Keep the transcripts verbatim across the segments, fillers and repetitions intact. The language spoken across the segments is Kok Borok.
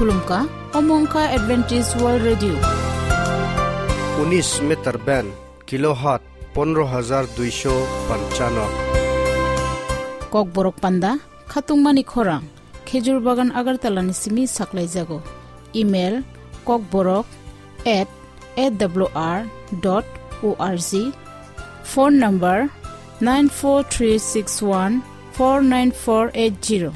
Khulumkha, omo wngkha Adventist World Radio. Unis meter band, kilohertz pondro hajar duisho panchano. Kokborok panda, khatungmani khorang, Khejur Bagan Agartala ni simi saklaijago. Email, kokborok at A W R dot O R G. Phone number, nine four three six one four nine four eight zero.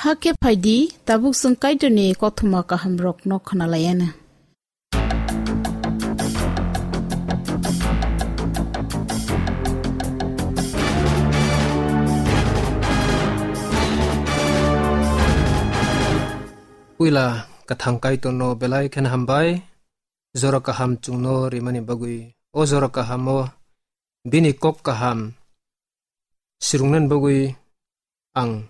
Hakhe phaidi, tabuk chwng Kaitorni kothoma kahamrokno khwnalaianw. Puila kwthang Kaitorno belai kheno hambai, jora kaham chwngno rimani bagwi. O jora kahamo bini kok kaham sirungnani bagwi ang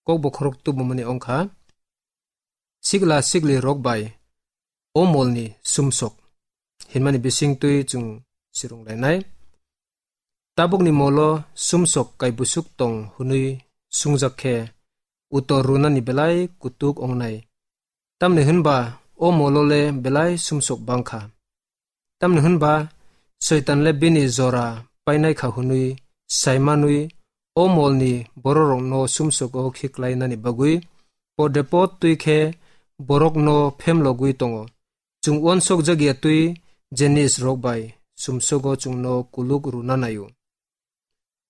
kok bokhorok tubumani wngkha, sikla sikli rok bai o molni sumsok hinmani bisingtwi chwng sirung lainai. Tabukni molo sumsok kaibusuk tong hwnwi sungjak khe, utor runani belai kutuk wngnai. Tamni hwnba o molo le belai sumsok bangkha. Tamni hwnba Soitan le bini jora painai kha hwnwi saimanwi o molni bororokno sumsogo khiklainani bagwi podre pod twi khe borokno phemlogwi tongo. Chwng uansok jakya twi jenis rok bai sumsogo chwngno kuluk rwna naio.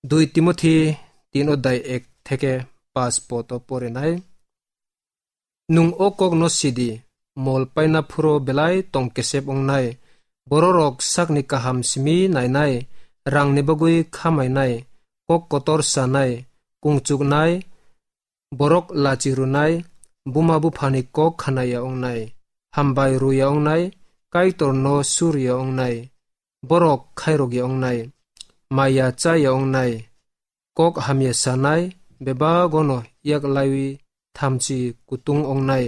Dui Timothi tin odai ek theke pas poto porinai. Nwng o kokno sidi, mol paina phuro belai tong kesep wngnai, bororok sakni kaham simi nainai, rangni bagwi khamainai, kok kotor sanai, kungchuknai, borok lachi rwnai, buma buphani kok khanaya wngnai, hambai rwya wngnai, Kaitorno surya wngnai, borok khairokya wngnai, maya chaya wngnai, kok hamya sanai, bebagono yak laiwi thamchi kutung wngnai,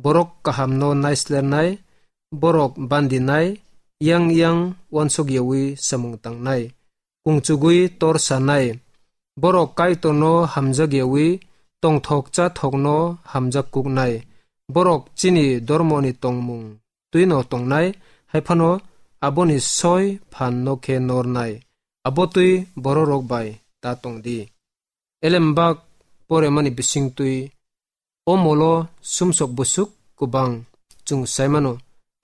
borok kahamno naislernai, borok bandinai, yang yang uansok yawi samung tangnai, kungchugwi tor sanai, borok Kaitorno hamjak yawi tongthok chathokno hamjak kuknai, borok chini dormoni tongmung twino tongnai, hai phano aboni soi phanno khe nornai, abo twi bororok bai ta tong di. Elembak poremani bisingtwi o molo sumsok busuk kwbang chwng sai mano.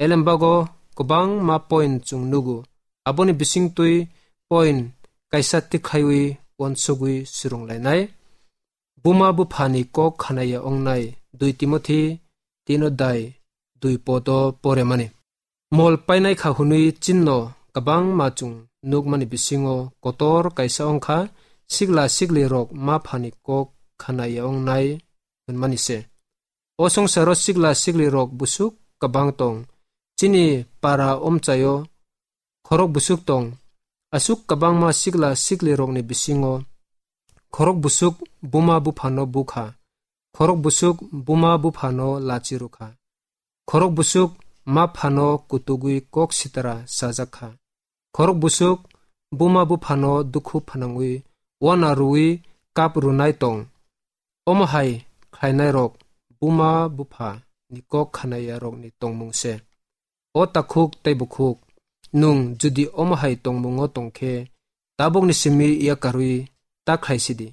Elembago kwbangma point chwng nugo. Aboni bisingtwi point kaisa tikhlaiwi uansugwi swrwnglainai. Buma buphani kok khanaya wngnai, Dui Timothi tin odai dui poto poremani. Mol painai kha hwnwi chinno kwbangma chwng nukmani bisingo kotor kaisa wngkha, sikla siklirok ma phani kok khanaya wngnai hwnmani se. O songsaro sikla siklirok busuk kwbang tong. Chini para omchaio khorok busuk tong. Aswk kwbangma sikla siklirokni bisingo khorok busuk buma buphano bukha, khorok busuk buma buphano lachi rwkha, khorok busuk ma phano kutugwi kok sitra sajak kha, khorok busuk buma buphano dukhu phanangwi wana rwwi kap rwnai tong. Omo hai khlainairok buma bupha ni kok khanaya rokni tongmung se. O takhuk tei bukhuk, nwng jodi omo hai tongmungo tong khe, tabukni simi yakarwi ta khlai sidi.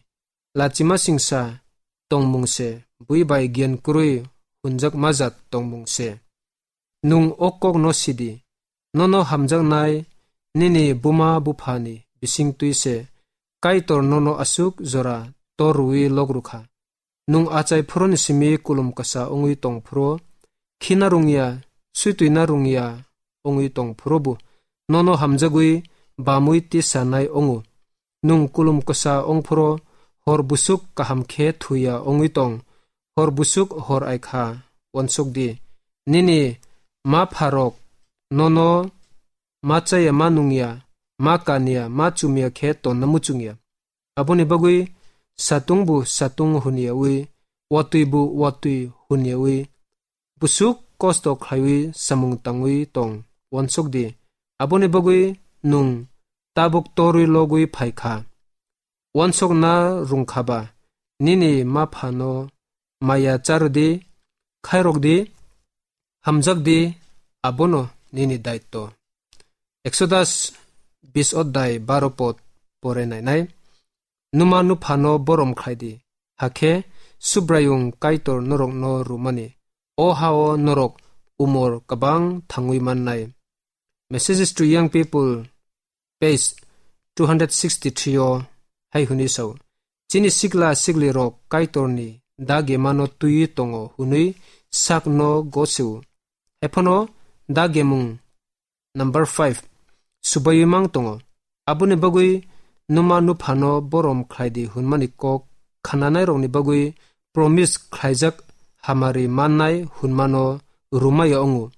Lachima singsa tongmung se, bui bai giyan kwrwi hunjak majak tongmung se. Nwng o kokno sidi, nono hamjaknai nini buma buphani bisingtwi se Kaitor nono aswk jora tor rwwi lok rwkha. Nwng achai phuroni simi kulum kwsa wngwi tong phuru, khina rwngya, switwina rwngya wngwi tong phurubo nono hamjagwi bamwi tisanai wngo. Nwng kulum kwsa wng phuru hor busuk kaham khe thuya wngwi tong, hor busuk hor ai kha, uansuk di. Nini ma pharok nono ma chaya, ma nungya, ma kanya, ma chumya khe tonna muchungya. Aboni bagwi satung bo satung hwnyawi, watwi bo watwi hwnyawi, busuk kosto khlaiwi samung tangwi tong, uansuk di. Aboni bagwi nwng tabuk torwi logwi phai kha. Uansukna rwng kha ba, nini ma phano maya cha rw di, khairok di, hamjak di, abono nini daitto. Exodus bis odai baro pod pore nainai. Numa nuphano borom khlai di, hakhe Subraiyung Kaitor norokno rwmani o ha-o norok umor kwbang thangwi mannai. Messages to Young People, page two hundred sixty-three o hai hwnwi sao, chini sikla siklirok Kaitorni dagemano twiwi tongo hwnwi sakno gosio. Haiphano dagemung number five, subaiwi mang tongo. Aboni bagwi numa nuphano borom khlaidi hwnmani kok khananairokni bagwi promise khlaijak hamari mannai hwnmano rumaya wngo.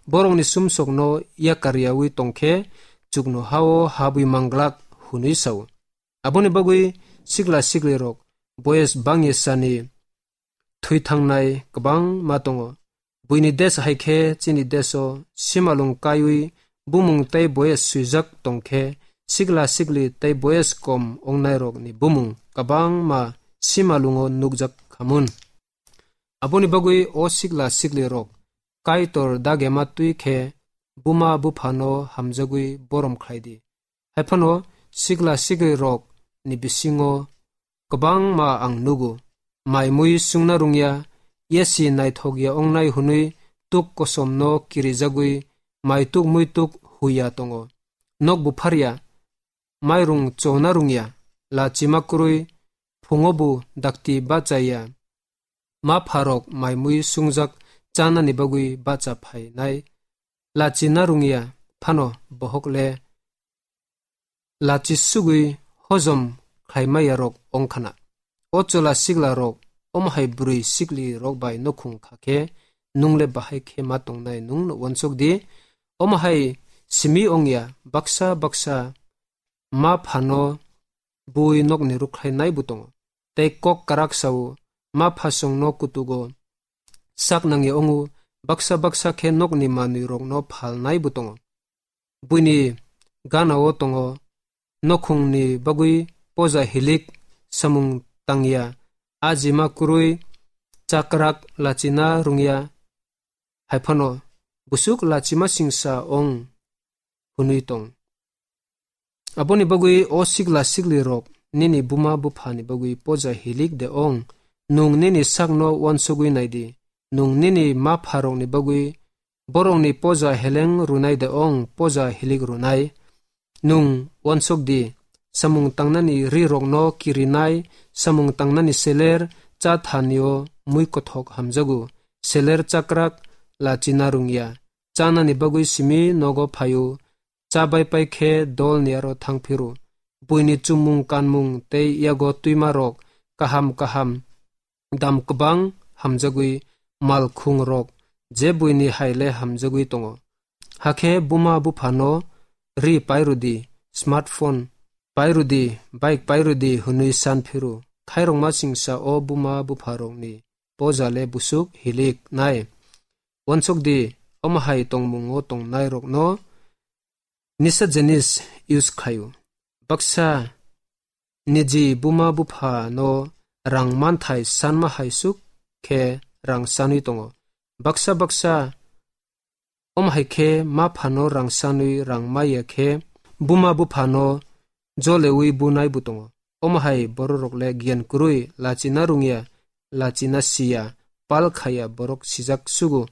Borokni sumsokno yakaryawi tongkhe chuknohao habwi manglak hwnwi sao. Aboni bagwi sikla siklirok boyes bangya sani thwi thangnai kwbangma tongo. Buini desh hai khe chini desho simalung kaiwi bumung tei boyes swijak tong khe sikla sikli tei boyes kom wngnairokni bumung kwbangma simalungo nukjak khamun. Aboni bagwi o sikla siklirok Kaitor dagema twi khe buma buphano hamjagwi borom khlai di. Haiphano sikla siklirokni bisingo kwbangma ang nugo, mai mui sungna rungya, yasi naithokya ongnai hwnwi tuk kosomno kirijagwi maituk muituk huya tongo. Nok bupharya, mairung chona rungya, lachima kwrwi, phungo bo dakti bachaya. Ma pharok mai mui sungjak chanani bagwi bacha phainai, lachina rungya phano bohok le lachi sugwi hojom khlaimaiyarok ongkhana. O chwla siklarok omo hai bwrwi siklirok bai nukhung kha khe, nung le bahai khe ma tongnai, nung no uansuk di. Omo hai simi ongya, baksa baksa ma phano bui nokni rukhlai nai bo tongo. Tei kok karak sao, ma phasongno kutugo sak nangya ongo, baksa baksa khe nokni manwi rokno phalnai bo tongo. Buini ganao tongo, nokhungni bagwi poja hilik samung tangya, ajima kwrwi chakrak lachina rungya, haiphano busuk lachima singsa ong hwnwi tong. Aboni bagwi o sikla siklirok nini buma buphani bagwi poja hilik de ong, nung nini sakno uansugwi nai di, nung nini ma pharokni bagwi borokni poja heleng rwnai de ong, poja hilik rwnai. Nung uansuk di, samung tangnani ri rokno kirinai, samung tangnani seler, cha thanio mui kothok hamjago, seler chakrak lachina rungya, chanani bagwi simi nogo phaio, cha bai pai khe dolni aro thang phiro. Buini chumung kanmung tei yago twima rok kaham kaham dam kwbang hamjagwi, mal khung rok je buini hai le hamjagwi tongo. Hakhe buma buphano ri pairudi, smartphone pairudi, bike pairudi hwnwi san phiro. Khairokma singsa o buma bupharokni poja le busuk hilik nai. Uansuk di, omo hai tongmungo tongnairokno nisa jinis use khlaio. Baksa niji buma buphano rang manthai sanma hai suk khe rang sanwi tongo. Baksa baksa omo hai khe ma phano rang sanwi rang maya khe buma buphano jolewi bunai bo tongo. Omo hai bororok le giyan kwrwi, lachina rungya, lachina siya, pal khaya borok sijak sugo.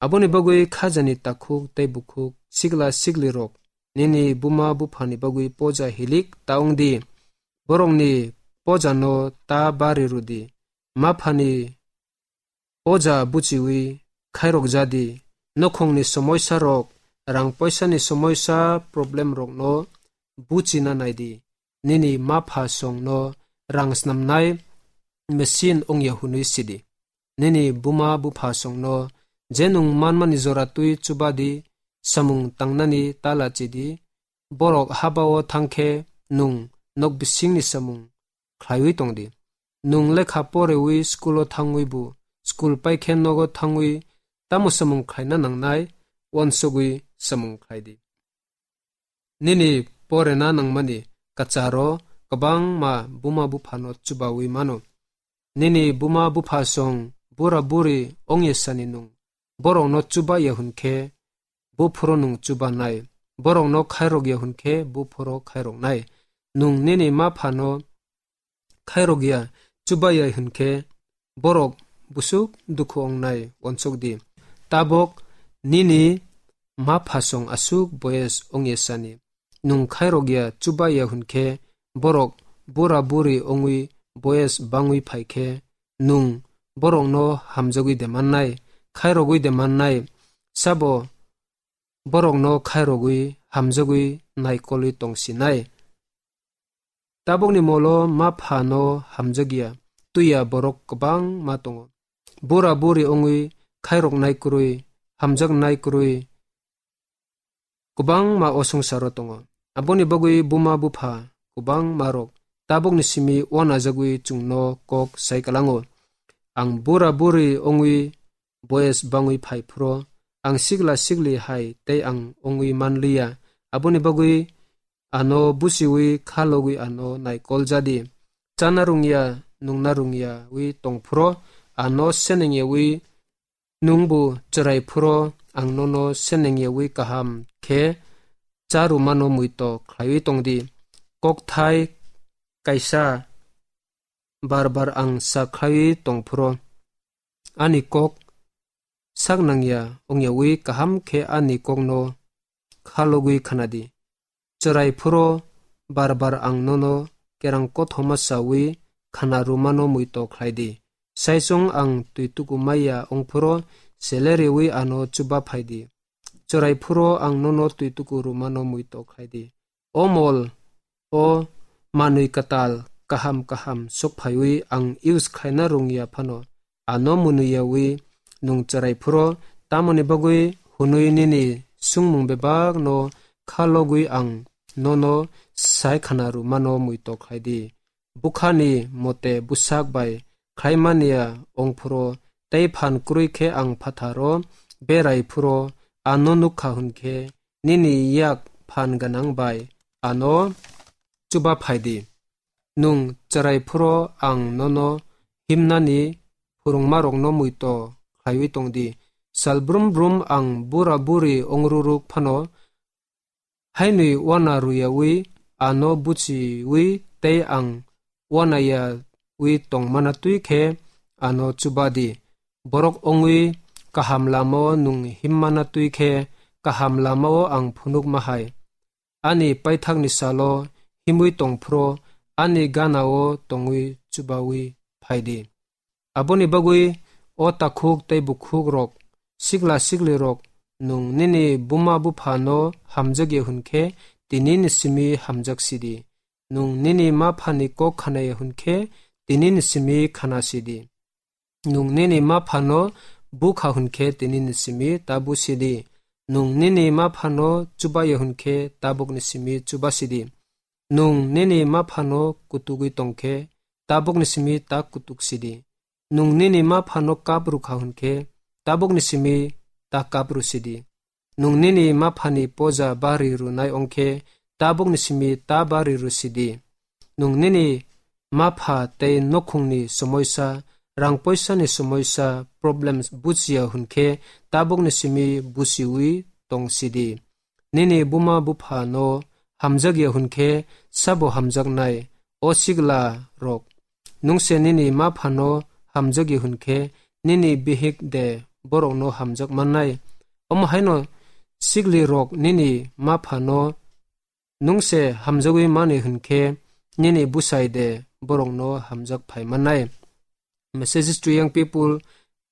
Aboni bagwi khajani takhuk tei bukhuk, sikla siklirok nini buma buphani bagwi poja hilik ta wng di. Borokni pojano ta bari rw di. Ma phani poja buchiwi khairok ja di. Nokhongni somoisa rok, rang poisani somoisa problem rokno buchina nai di. Nini ma pha songno rang snamnai machine ongya hwnwi sidi. Nini buma bupha songno je nwng manmani jora twi chuba di, samung tangnani ta lachi di. Borok habao thang khe nwng nok bisingni samung khlaiwi tong di. Nwng lekha porewi school-o thangwi bo, school pai khe nogo thangwi tamo samung khlaina nangnai, uansugwi samung khlai di. Nini porena nangmani kwcharo kwbangma buma buphano chubawi mano. Nini buma bupha song bura buri ongya sani nwng borokno chuba ya hwn khe, buphuru nwng chubanai. Borokno khairok ya hwn khe, buphuru khairoknai. Nwng nini ma phano khairok ya, chuba ya hwn khe, borok busuk dukhu ongnai, uansuk di. Tabok nini ma phasong aswk boyes ongya sani. Nwng khairok ya, chuba ya hwn khe, borok bura buri ongwi boyes bangwi phai khe, Nwng borokno hamjagwi de mannai, khairogwi de mannai? Sabo borokno khairogwi hamjagwi naikolwi tongsinai. Tabukni molo ma phano hamjakya, twiya borok kwbangma tongo. Bura buri wngwi khairoknai kwrwi, hamjaknai kwrwi kwbangma o swngcharo tongo. Aboni bagwi buma bupha kwbangma rok tabukni simi uanajagwi chwngno kok sai kwlango. Ang bura buri wngwi boyes bangwi phai phro, ang sikla sikli hai tei ang wngwi manliya. Aboni bagwi ano busiwi khalogwi ano naikol jadi. Chana rungya, nungna rungyawi tong phro, ano senengyawi nungbo chwrai phro, ang nono senengyawi kaham khe charumano muito khlaiwi tongdi. Kokthai kaisa bar bar ang sa khlaiwi tong phro, ani kok sak nangya wngyawi kaham khe ani kokno khalogwi khanadi. Chwrai phro bar bar ang nono kerang kothoma sawi khana rwmano muito khlaidi. Saichung ang twi tuku maya wng phro sele rewi ano chuba phaidi. Chwrai phro ang nono twi tuku rwmano muito khlaidi. O mol, o manwi kwtal kaham kaham sok phaiwi ang use khlaina rwngya phano, ano mwnwiyawi nwng chwrai phro, tamoni bagwi hwnwi nini swngmung bebakno khalogwi ang nono sai khana rwmano muito khlaidi. Bukhani mote bwsak bai khlaimaniya wng phro, tei phan kwrwi khe ang phatharo berai phro, ano nukha hwn khe nini yak phan gwnang bai ano chuba phaidi. Nwng chwrai phro ang nono himnani phwrwngmarokno muito khlaiwi tongdi. Sal brum brum ang bura buri wngruruk phano, hainwi uana rwyawi ano buchiwi tei ang uanayawi tongmana twi khe ano chubadi. Borok wngwi kaham lamao nwng himmana twi khe kaham lamao ang phunukma hai. Ani paithakni salo himwi tong phro, ani ganao tongwi chubawi phaidi. Aboni bagwi, o takhuk tei bukhuk rok, sikla sikli rok, nwng nini buma bupha no hamjakya hwn khe, tini ni simi hamjak sidi. Nwng nini ma phani kok khanaya hwn khe, tini ni simi khana sidi. Nwng nini ma phano bukha hwn khe, tini ni simi ta busidi. Nwng nini ma phano chubaya hwn khe, tabukni simi chubasidi. Nwng nini ma phano kutugwi tong khe, tabukni simi ta kutuk sidi. Nwng nini ma phano kap rwkha hwn khe, tabukni simi ta kap rwsidi. Nwng nini ma phani poja bari rwnai ong khe, tabukni simi ta bari rwsidi. Nwng nini ma pha tei nokhungni somoisa, rang poisani somoisa, problems buchiya hwn khe, tabukni simi buchiwi tong sidi. Nini buma bupha no hamjakya hwn khe, sabo hamjaknai, o sikla rok. Nwng se nini ma phano hamjakya hwn khe, nini bihik de borokno hamjak mannai? Omo haino sikli rok nini ma phano nwng se hamjagwi mani hwn khe, nini bwsai de borokno hamjak phai mannai? Messages to Young People,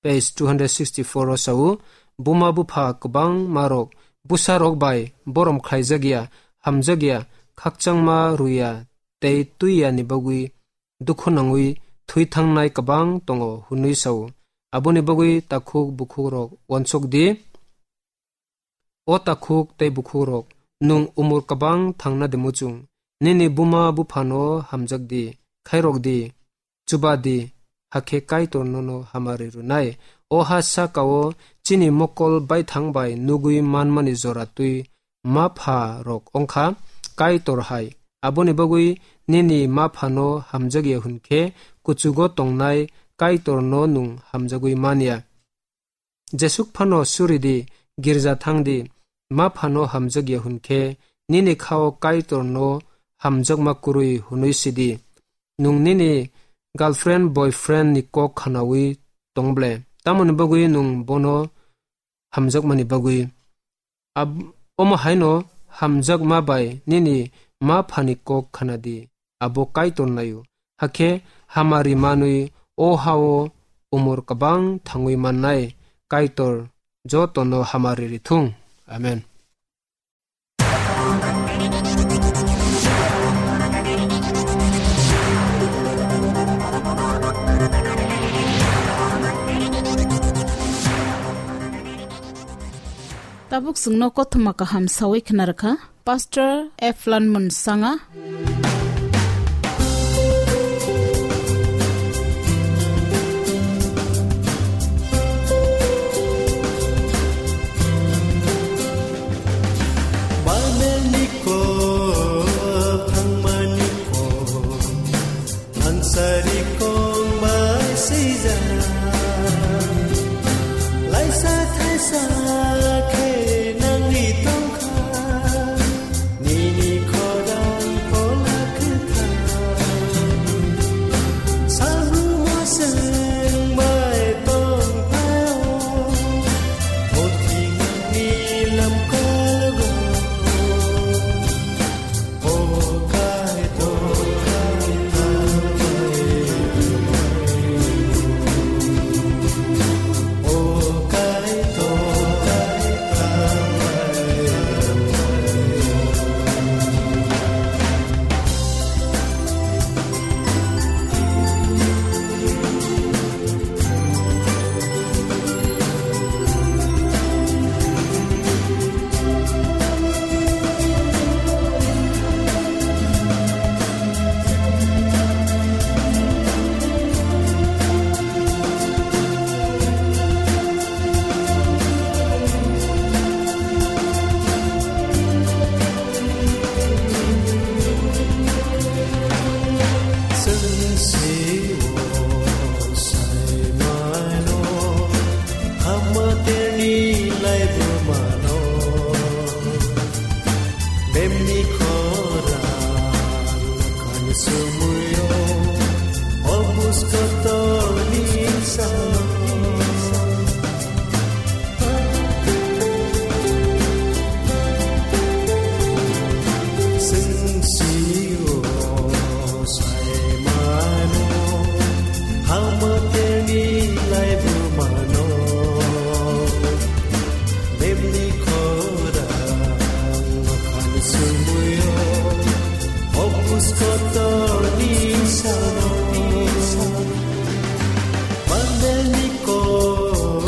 page two hundred sixty-four o sao, buma bupha kwbangma rok bwsa rok bai borom khlaijakya, hamjakya, khakchangma rwya tei twiya ni bagwi dukhu nangwi thwi thangnai kwbang tongo hwnwi sao. Aboni bagwi takhuk bukhuk rok uansuk di. O takhuk tei bukhukrok, nwng umor kwbang thangna de muchung, nini buma buphano hamjak di, khairok di, chuba di, hakhe Kaitor nono hamari rwnai. O ha saka-o chini mokol baithang bai nugwi manmani jora twi ma pha rok ongkha Kaitor hai. Aboni bagwi nini ma phano hamjakya hwn khe, kuchugo tongnai Kaitorno nwng hamjagwi man ya. Jesuk phano suri di, girja thang di, ma phano hamjak ya hwn khe, nini kha-o Kaitor no hamjakma kwrwi hwnwi si di. Nwng nini girlfriend, boyfriend ni kok khnaui tong ble? Tamoni bagwi nwng bono hamjakmani bagwi? Ab-, omo haino hamjakma bai nini ma phani kok khna di, abo Kaitor naio. Hakhe hamari manwi o ha-o umor kwbang thangwi mannai Kaitor jotono hamari rithung. Amen. Tabuk chwngno kothoma kaham sawi khna rwkha Pastor Eflan Munsanga. Bible ni kok, thangmani kok, ang sari kong bai sijak. Laisa thaisa khe nangni tongkha, nini khorang phola kwthar. Salbumo chwng bai tongphai-o, o thwimani lamkol go. Chwng se-o sai mano, hamaterni laibu mano. Bemni khorang khan sumuyo, obus kotorni sa. Chwng se-o sai mano, hamaterni laibu mano. Bemni khorang khan sumuyo, obus kotorni sano. Bible ni kok,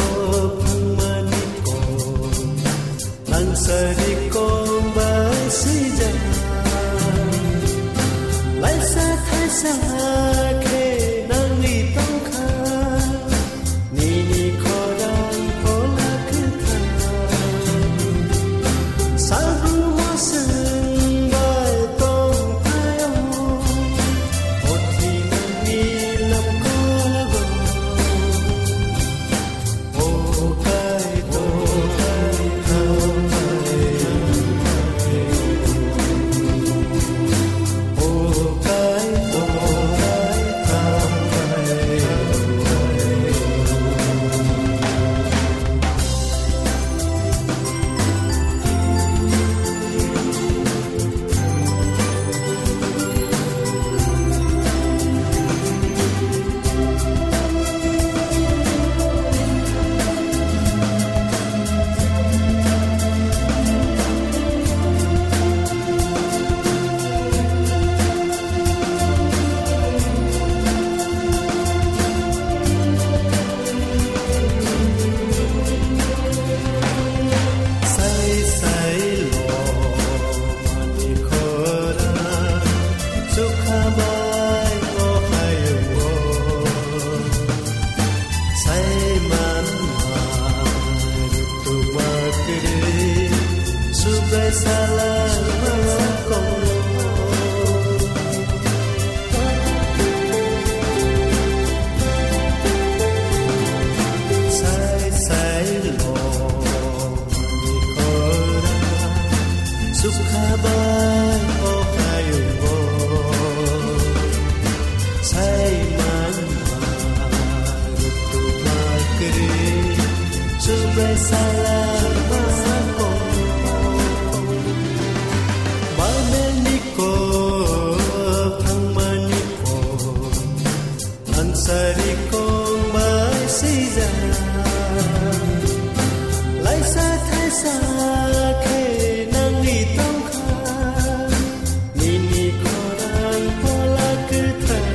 thangmani kok, ang sari kong bai sijak. Laisa thaisa khe nangni tongkha, nini khorang phola kwthar. Salbumo chwng bai tongphai-o, o thwimani lamkol go. Sai sai lo mani khorang, sukha bai mo hayung o. Sai man ma rutuk ma kwrwi, subai sala ma kong. Sai sai lo mani khorang, sukha bai o hayung o. Sai man ma rutuk ma kwrwi, subai sala ma kong. Bible ni kok, thangmani kok, Sangsari kong bai sijak, laisa thaisa khe nangni tongkha, nini khorang pola kwthar.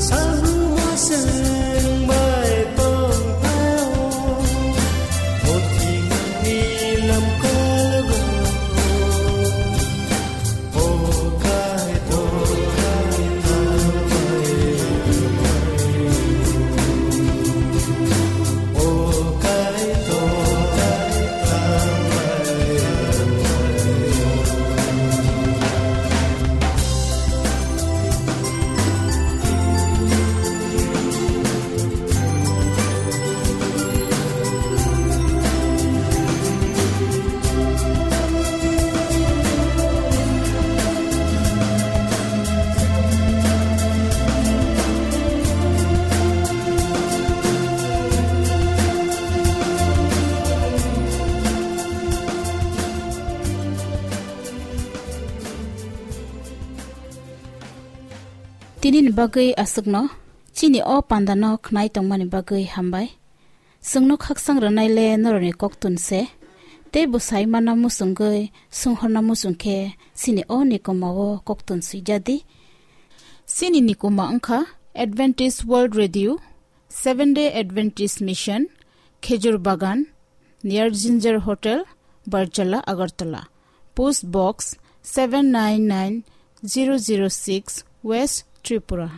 Sabumo chwng bai tongphaio, mothimani lamkol go. Tini ni bagwi aswkno, chini o panda no khnai tongmani bagwi hambai. Chwngno khaksang rwnai le norokni koktun se, tei bwsai mana muchungwi swnghorna muchung khe chini o nikoma o koktun swijadi. Chini nikoma wngkha Adventist World Radio, Seventh Day Adventist Mission, Khejur Bagan, near Ginger Hotel, Barjala, Agartala. Post Box seven nine nine zero zero six, West Tripura.